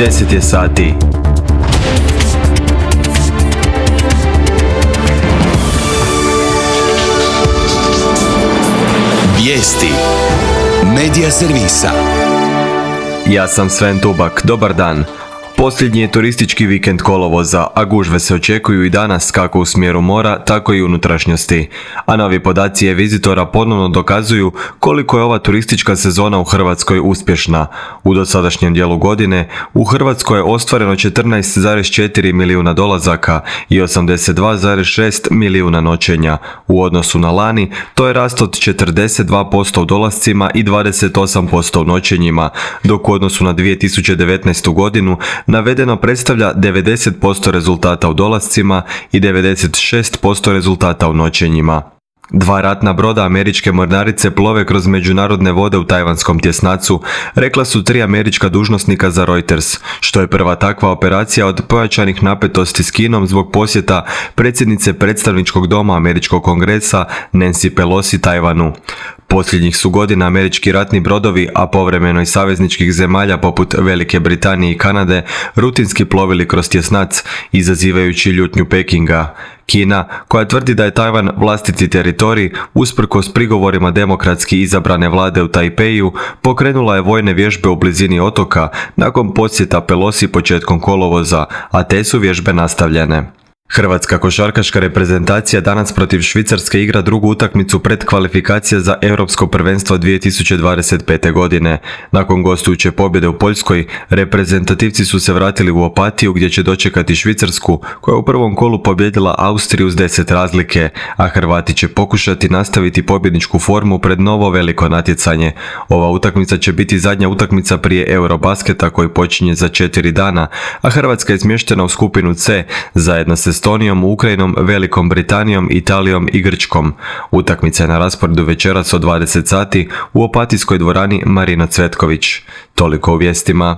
10 je sati. Vijesti Medija servisa. Ja sam Sven Tubak, dobar dan. Posljednji je turistički vikend kolovoza, a gužve se očekuju i danas kako u smjeru mora, tako i unutrašnjosti. A novi podaci e-vizitora ponovno dokazuju koliko je ova turistička sezona u Hrvatskoj uspješna. U dosadašnjem dijelu godine u Hrvatskoj je ostvareno 14,4 milijuna dolazaka i 82,6 milijuna noćenja. U odnosu na lani, to je rast od 42% u dolascima i 28% u noćenjima, dok u odnosu na 2019. godinu navedeno predstavlja 90% rezultata u dolascima i 96% rezultata u noćenjima. Dva ratna broda američke mornarice plove kroz međunarodne vode u tajvanskom tjesnacu, rekla su 3 američka dužnosnika za Reuters, što je prva takva operacija od pojačanih napetosti s Kinom zbog posjeta predsjednice predstavničkog doma američkog kongresa Nancy Pelosi Tajvanu. Posljednjih su godina američki ratni brodovi, a povremeno i savezničkih zemalja poput Velike Britanije i Kanade, rutinski plovili kroz tjesnac, izazivajući ljutnju Pekinga. Kina, koja tvrdi da je Tajvan vlastiti teritorij, usprkos prigovorima demokratski izabrane vlade u Tajpeju, pokrenula je vojne vježbe u blizini otoka nakon posjeta Pelosi početkom kolovoza, a te su vježbe nastavljene. Hrvatska košarkaška reprezentacija danas protiv Švicarske igra drugu utakmicu predkvalifikacija za Europsko prvenstvo 2025. godine. Nakon gostujuće pobjede u Poljskoj, reprezentativci su se vratili u Opatiju gdje će dočekati Švicarsku, koja je u prvom kolu pobijedila Austriju s 10 razlike, a Hrvati će pokušati nastaviti pobjedničku formu pred novo veliko natjecanje. Ova utakmica će biti zadnja utakmica prije Eurobasketa koji počinje za 4 dana, a Hrvatska je smještena u skupinu C zajedno s Estonijom, Ukrajinom, Velikom Britanijom, Italijom i Grčkom. Utakmica je na rasporedu večeras od 20 sati u Opatijskoj dvorani Marino Cvetković. Toliko u vijestima.